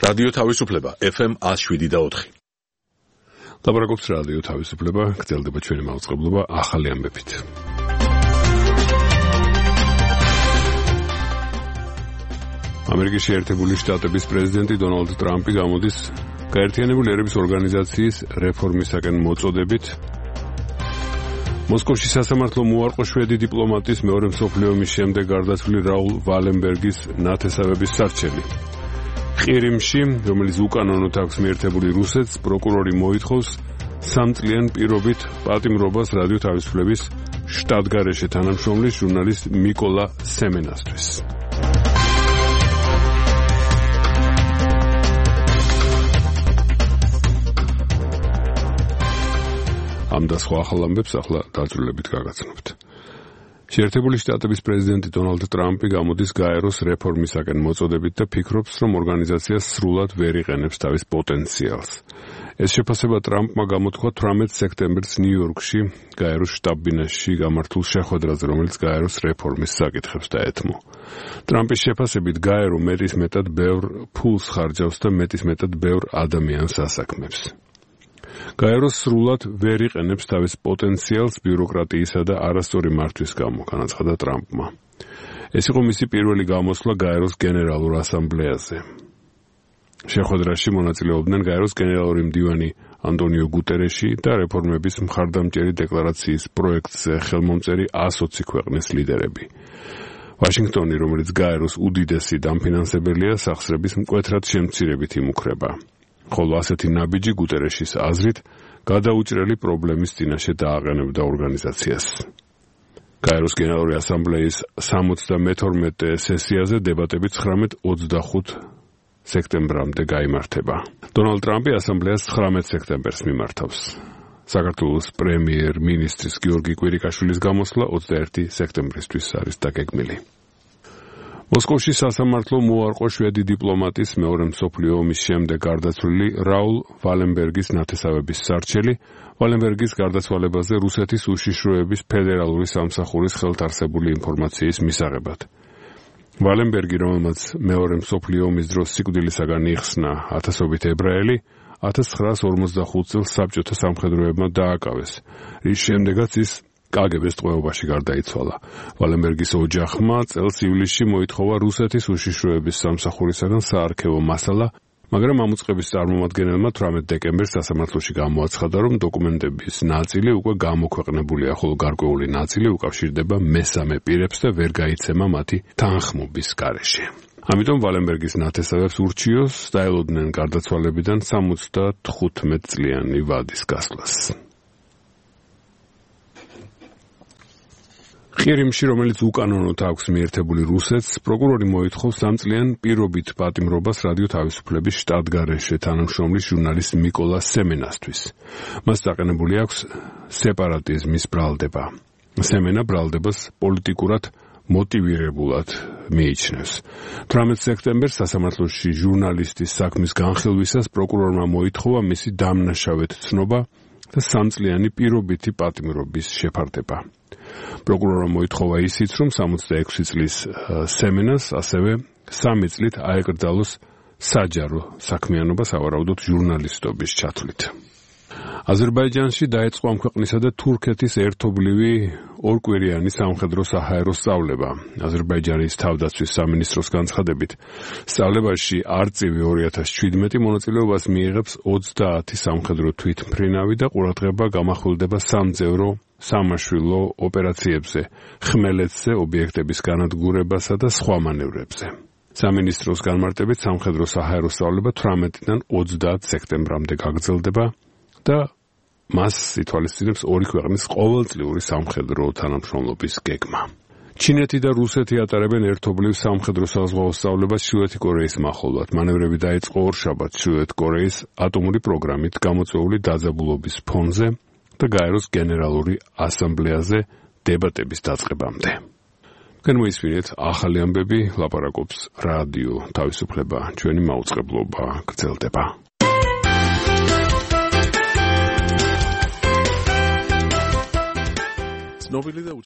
რადიო თავისუფლება FM 107.4. ლაპარაკობს რადიო თავისუფლება, გრძელდება ჩვენი მაუწყებლობა ახალი ამბებით. ამერიკის შეერთებული შტატების პრეზიდენტი დონალდ ტრამპი გამოდის გაერთიანებული ერების ორგანიზაციის რეფორმისაკენ მოწოდებით. მოსკოვში სასამართლო მოუარყო შვედი დიპლომატის მეორე მსოფლიო ომის შემდეგ გარდაცვლილი რაულ ვალენბერგის ნათესავების სარჩელი. ყირიმში, რომელიც უკანონოდ აქვს მიერთებული რუსეთს, პროკურორი მოითხოვს 3 წლიან პირობით პატიმრობას რადიო თავისუფლების შტატგარეშე თანამშრომლის ჟურნალისტ მიკოლა სემენასთვის. ამ და სხვა ახალ ამბებს ახლა დაწვრილებით გაგაცნობთ. შეერთებული შტატების პრეზიდენტი დონალდ ტრამპი გამოდის გაეროს რეფორმისაკენ მოწოდებით და ფიქრობს, რომ ორგანიზაცია სრულად ვერ იყენებს თავის პოტენციალს. ეს შეფასება ტრამპმა გამოთქვა 18 სექტემბერს ნიუ-იორკში გაეროს შტაბ-ბინაში გამართულ შეხვედრაზე, რომელიც გაეროს რეფორმის საკითხებს დაეთმო. ტრამპის შეფასებით გაერო მეტისმეტად ბევრ ფულს ხარჯავს და მეტისმეტად ბევრ ადამიანს ასაქმებს. გაერო სრულად ვერ იყენებს თავის პოტენციალს ბიუროკრატიისა და არასწორი მართვის გამო, განაცხადა ტრამპმა. ეს იყო მისი პირველი გამოსვლა გაეროს გენერალურ ასამბლეაზე. შეხვედრაში მონაწილეობდნენ გაეროს გენერალური მდივანი ანტონიო გუტერეში და რეფორმების მხარდამჭერი დეკლარაციის პროექტზე ხელმომწერი 120 ქვეყნის ლიდერები. ვაშინგტონი, რომელიც გაეროს უდიდესი დამფინანსებელია, სახსრების მკვეთრად შემცირებით იმუქრება. ხოლო ასეთი ნაბიჯი გუტერეშის აზრით გადაუჭრელი პრობლემის წინაშე დააყენებდა ორგანიზაციას. გაეროს გენერალური ასამბლეის 72 სესიაზე დებატები 19-25 სექტემბრამდე გაიმართება. დონალდ ტრამპი ასამბლეას 19 სექტემბერს მიმართავს. საქართველოს პრემიერ-მინისტრის გიორგი კვირიკაშვილის გამოსვლა 21 სექტემბრისთვის არის დაგეგმილი. მოსკოვში სასამართლო მოუარყო შვედი დიპლომატის მეორე მსოფლიო ომის შემდეგ გარდაცვლილი რაულ ვალენბერგის ნათესავების სარჩელი. ვალენბერგის გარდაცვალებაზე რუსეთის უშიშროების ფედერალური სამსახურის ხელთარსებული ინფორმაციის მისაღებად. ვალენბერგი, რომელმაც მეორე მსოფლიო ომის დროს სიკვდილისაგან იხსნა ათასობით ებრაელი, 1945 წელს საბჭოთა სამხედროებმა დააკავეს, რის შემდეგაც ის კგბ-ს ტყვეობაში გარდაიცვალა. ვალენბერგის ოჯახმა წელს ივლისში მოითხოვა რუსეთის უშიშროების სამსახურისაგან საარქივო მასალა, მაგრამ ამ უწყების წარმომადგენელმა 18 დეკემბერს სასამართლოში გამოაცხადა, რომ დოკუმენტების ნაწილი უკვე გამოქვეყნებულია, ხოლო გარკვეული ნაწილი უკავშირდება მესამე პირებს და ვერ გაიცემა მათი თანხმობის გარეშე. ამიტომ ვალენბერგის ნათესავებს ურჩიოს დაელოდნენ გარდაცვალებიდან 75 წლიანი ვადის გასვლას. ყირიმში, რომელიც უკანონოდ აქვს მიერთებული რუსეთს, პროკურორი მოითხოვს 3 წლიან პირობით პატიმრობას რადიო თავისუფლების შტატგარეშე თანამშრომლის ჟურნალისტ მიკოლა სემენასთვის. მას დაყენებული აქვს სეპარატიზმის ბრალდება. სემენა ბრალდებას პოლიტიკურად მოტივირებულად მიიჩნევს. 18 სექტემბერს სასამართლოში ჟურნალისტის საქმის განხილვისას პროკურორმა მოითხოვა მისი დამნაშავედ ცნობა და 3 წლიანი პირობითი პატიმრობის შეფარდება. პროკურორმა მოითხოვა ისიც, რომ 66 წლის სემენას ასევე 3 წლით აეკრძალოს საჯარო საქმიანობა, სავარაუდოდ ჟურნალისტობის ჩათვლით. აზერბაიჯანში დაიწყო ამ ქვეყნისა და თურქეთის ერთობლივი ორკვირიანი სამხედრო-საჰაერო სწავლება. აზერბაიჯანის თავდაცვის სამინისტროს განცხადებით, სწავლებაში არწივი 2017 მონაწილეობას მიიღებს 30 სამხედრო თვითმფრინავი და ყურადღება გამახვილდება სამძევრო სამაშვილო ოპერაციებზე, ხმელეთზე, ობიექტების განადგურებასა და სხვა მანევრებზე. სამინისტროს განმარტებით სამხედრო-საჰაერო სწავლება 18-დან 30 სექტემბრამდე გაგრძელდება და მას ითვალისწინებს ორი ქვეყნის ყოველწლიური სამხედრო თანამშრომლობის გეგმა. ჩინეთი და რუსეთი ატარებენ ერთობლივ სამხედრო-საზღვაო სწავლებას ჩრდილოეთი კორეის მახლობლად. მანევრები დაიწყო ორშაბათს ჩრდილოეთი კორეის ატომური პროგრამით გამოწვეული დაძაბულობის ფონზე და გაეროს გენერალური ასამბლეაზე დებატების დაწყებამდე. განმოისმინეთ ახალი ამბები, ლაპარაკობს რადიო თავისუფლება, ჩვენი მაუწყებლობა გრძელდება. ცნობილი და